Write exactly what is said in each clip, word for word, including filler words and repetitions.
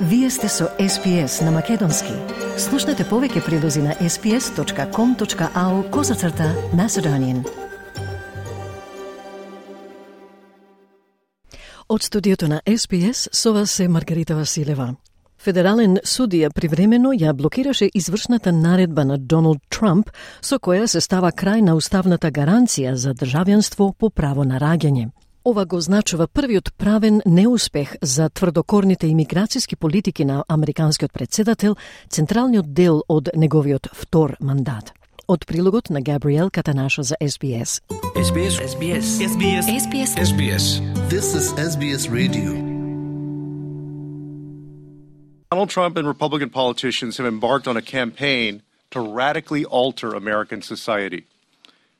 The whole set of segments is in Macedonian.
Вие сте со Ес Би Ес на Македонски. Слушнете повеќе прилози на ес би ес точка ком точка ау козацрта Macedonian. Од студиото на Ес Би Ес со вас е Маргарита Василева. Федерален судија привремено ја блокираше извршната наредба на Доналд Трамп со која се става крај на уставната гаранција за државјанство по право на раѓање. Ова го значува првиот правен неуспех за тврдокорните имиграцијски политики на американскиот председател, централниот дел од неговиот втор мандат. Од прилогот на Габриел Катанаша за Ес Би Ес. Ес Би Ес. Ес Би Ес. Ес Би Ес. Ес Би Ес. Ес Би Ес. This is Ес Би Ес Radio. Donald Trump and Republican politicians have embarked on a campaign to radically alter American society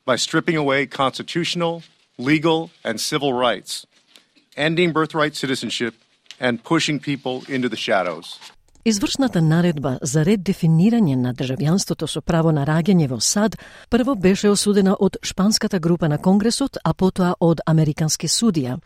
by stripping away constitutional, legal, and civil rights, ending birthright citizenship, and pushing people into the shadows. Извршната наредба за ред дефинирање на државјанството со право на раѓање во САД прво беше осудена од шпанската група на Конгресот, а потоа од американски судија.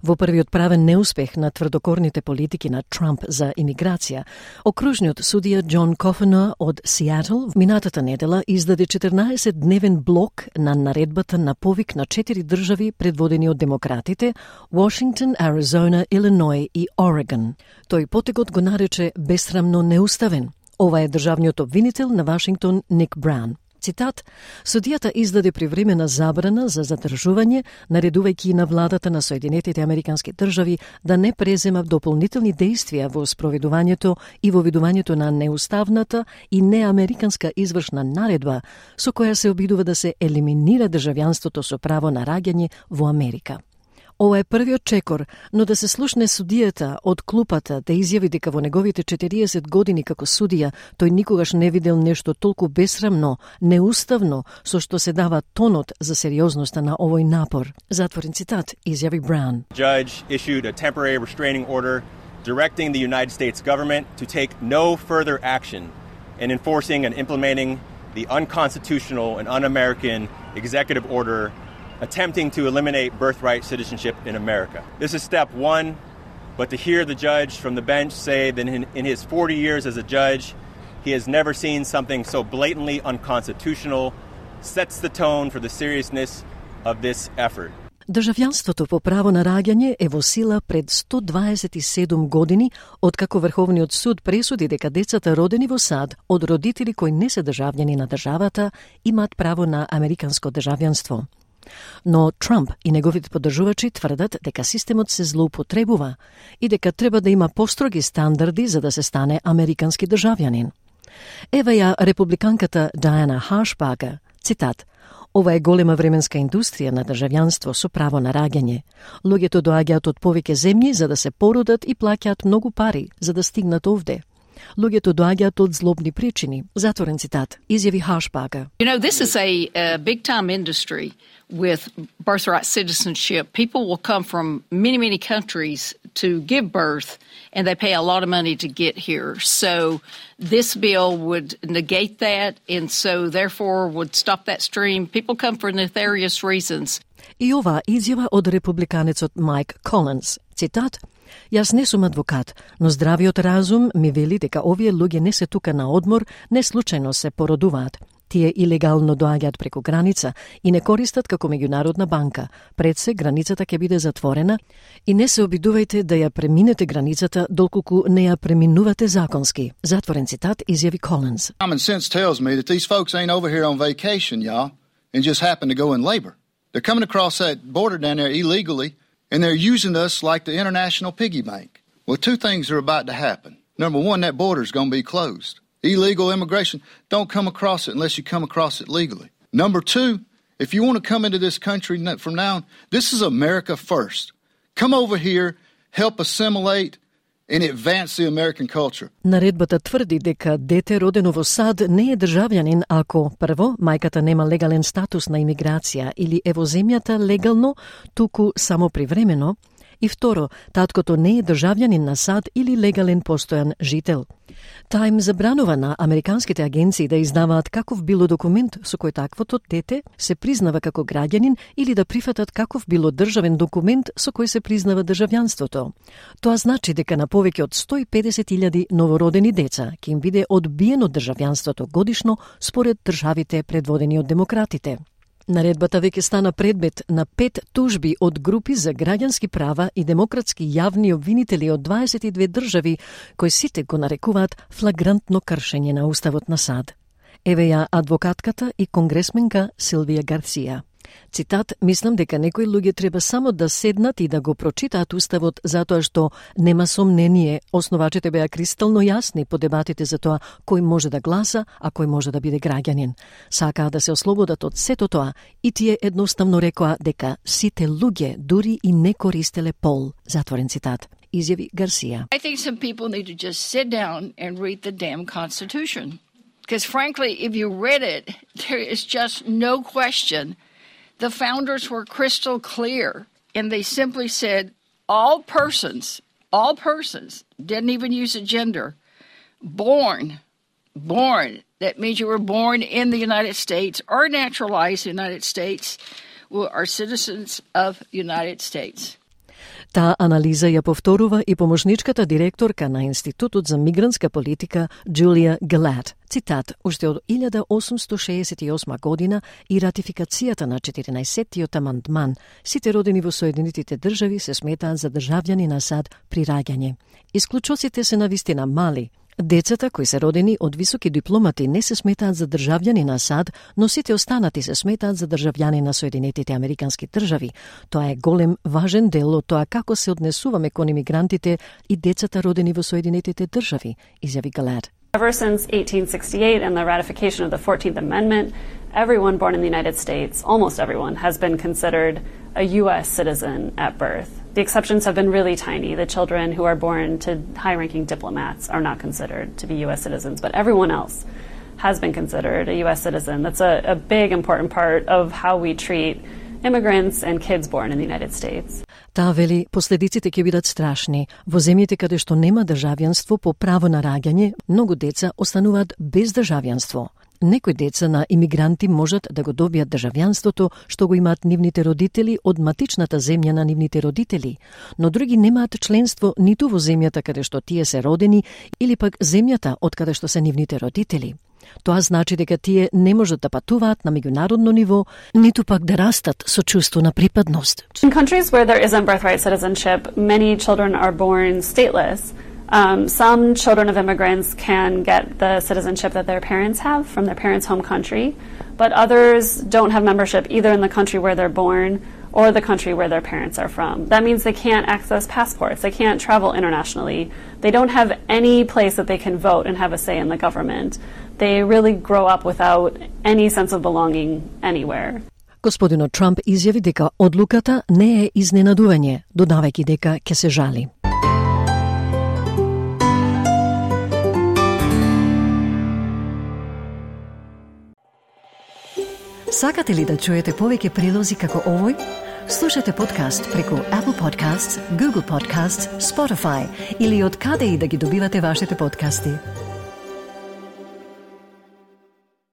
Во првиот правен неуспех на тврдокорните политики на Трамп за имиграција, окружниот судија Џон Кофенер од Сиетл минатата недела издаде четрнаесетдневен блок на наредбата на повик на четири држави предводени од демократите: Вашингтон, Аризона, Илиној и Орегон. Тој потегот го нарече бесрамно неуставен. Ова е државниот обвинител на Вашингтон Ник Браун. Цитат: судијата издаде привремена забрана за задржување, наредувајќи на владата на Соединетите Американски држави да не презема дополнителни дејствија во спроведувањето и во видувањето на неуставната и неамериканска извршна наредба со која се обидува да се елиминира државјанството со право на раѓање во Америка. Ова е првиот чекор, но да се слушне судијата од клупата да изјави дека во неговите четириесет години како судија тој никогаш не видел нешто толку бесрамно, неуставно, со што се дава тонот за сериозноста на овој напор. Затворен цитат, изјави Браун. Judge issued a temporary restraining order directing the United States government to take no further action in enforcing and implementing the unconstitutional and un-American executive order attempting to eliminate birthright citizenship in America. This is step one, but to hear the judge from the bench say that in, in his forty years as a judge, he has never seen something so blatantly unconstitutional sets the tone for the seriousness of this effort. Државјанството по право на раѓање е во сила пред сто дваесет и седум години, откако Врховниот суд пресуди дека децата родени во САД од родители кои не се државјани на државата имаат право на американско државјанство. Но Трамп и неговите поддржувачи тврдат дека системот се злоупотребува и дека треба да има построги стандарди за да се стане американски државјанин. Ева ја републиканката Диана Харшбагер, цитат: "Ова е голема временска индустрија на државјанство со право на раѓање. Луѓето доаѓаат од повеќе земји за да се породат и плаќаат многу пари за да стигнат овде. Луѓето доаѓаат од злобни причини." Затворен цитат, изјави Харшбагер. You know, this is a, a big-time industry with birthright citizenship. People will come from many, many countries to give birth, and they pay a lot of money to get here. So this bill would negate that, and so therefore would stop that stream. People come for nefarious reasons. И ова изјава од републиканецот Майк Колинс. Цитат: "Јас не сум адвокат, но здравиот разум ми вели дека овие луѓе не се тука на одмор, не случајно се породуваат. Тие илегално доаѓаат преку граница и не користат како меѓународна банка. Пред се границата ќе биде затворена и не се обидувајте да ја преминете границата доколку не ја преминувате законски." Затворен цитат, изјави Колинс. Common sense tells me that these folks ain't over here on vacation, y'all, and just happen to go in labor. They're coming across that border down there illegally, and they're using us like the international piggy bank. Well, two things are about to happen. Number one, that border's going to be closed. Illegal immigration, don't come across it unless you come across it legally. Number two, if you want to come into this country from now on, this is America first. Come over here, help assimilate and advance the American culture. Наредбата тврди дека дете родено во САД не е државјанин ако прво мајката нема легален статус на имиграција или е во земјата легално, туку само привремено, И второ, таткото не е државјанин на САД или легален постојан жител. Таа им забранува на американските агенции да издаваат каков било документ со кој таквото дете се признава како граѓанин или да прифатат каков било државен документ со кој се признава државјанството. Тоа значи дека на повеќе од сто и педесет илјади новородени деца ќе им биде одбиено државјанството годишно според државите предводени од демократите. Наредбата веќе стана предмет на пет тужби од групи за граѓански права и демократски јавни обвинители од дваесет и две држави, кои сите го нарекуваат флагрантно кршење на уставот на САД. Еве ја адвокатката и конгресменка Силвија Гарсија. Цитат: "Мислам дека некои луѓе треба само да седнат и да го прочитаат уставот, затоа што нема сомнение, основачите беа кристално јасни по дебатите за тоа кој може да гласа, а кој може да биде граѓанин. Сакаа да се ослободат од сето тоа и тие едноставно рекоа дека сите луѓе дури и не користеле пол." Затворен цитат. Изјави Гарсија. I think some people need to just sit down and read the damn Constitution. Because frankly, if you read it, there is just no question. The founders were crystal clear, and they simply said all persons, all persons, didn't even use a gender, born, born, that means you were born in the United States or naturalized in the United States, are citizens of the United States. Таа анализа ја повторува и помошничката директорка на Институтот за мигрантска политика Джулија Гилад. Цитат: "Уште од илјада осумсто шеесет и осма година и ратификацијата на четиринаесеттиот амандман, сите родени во Соединетите држави се сметаат за државјани на САД при раѓање. Исклучоците се навистина мали. Децата кои се родени од високи дипломати не се сметаат за државјани на САД, но сите останати се сметаат за државјани на Соединетите Американски држави. Тоа е голем, важен дел од тоа како се однесуваме кон имигрантите и децата родени во Соединетите држави", изјави Галад. Ever since eighteen sixty-eight and the ratification of the fourteenth Amendment, everyone born in the United States, almost everyone, has been considered a U S citizen at birth. The exceptions have been really tiny. The children who are born to high-ranking diplomats are not considered to be U S citizens, but everyone else has been considered a U S citizen. That's a, a big, important part of how we treat immigrants and kids born in the United States. Таа вели, последиците ќе бидат страшни. Во земјите каде што нема државјанство по право на раѓање, многу деца остануваат без државјанство. Некои деца на имигранти можат да го добијат државјанството што го имаат нивните родители од матичната земја на нивните родители, но други немаат членство ниту во земјата каде што тие се родени или пак земјата од каде што се нивните родители. Тоа значи дека тие не можат да патуваат на меѓународно ниво, ниту пак да растат со чувство на припадност. In countries where there isn't birthright citizenship, many children are born stateless. Um, some children of immigrants can get the citizenship that their parents have from their parents' home country, but others don't have membership either in the country where they're born or the country where their parents are from. That means they can't access passports, they can't travel internationally, they don't have any place that they can vote and have a say in the government. They really grow up without any sense of belonging anywhere. Господинот Трамп изјави дека одлуката не е изненадување, додавајќи дека ќе се жали. Сакате ли да чуете повеќе прилози како овој? Слушате подкаст преку Apple Podcasts, Google Podcasts, Spotify или од каде и да ги добивате вашите подкасти.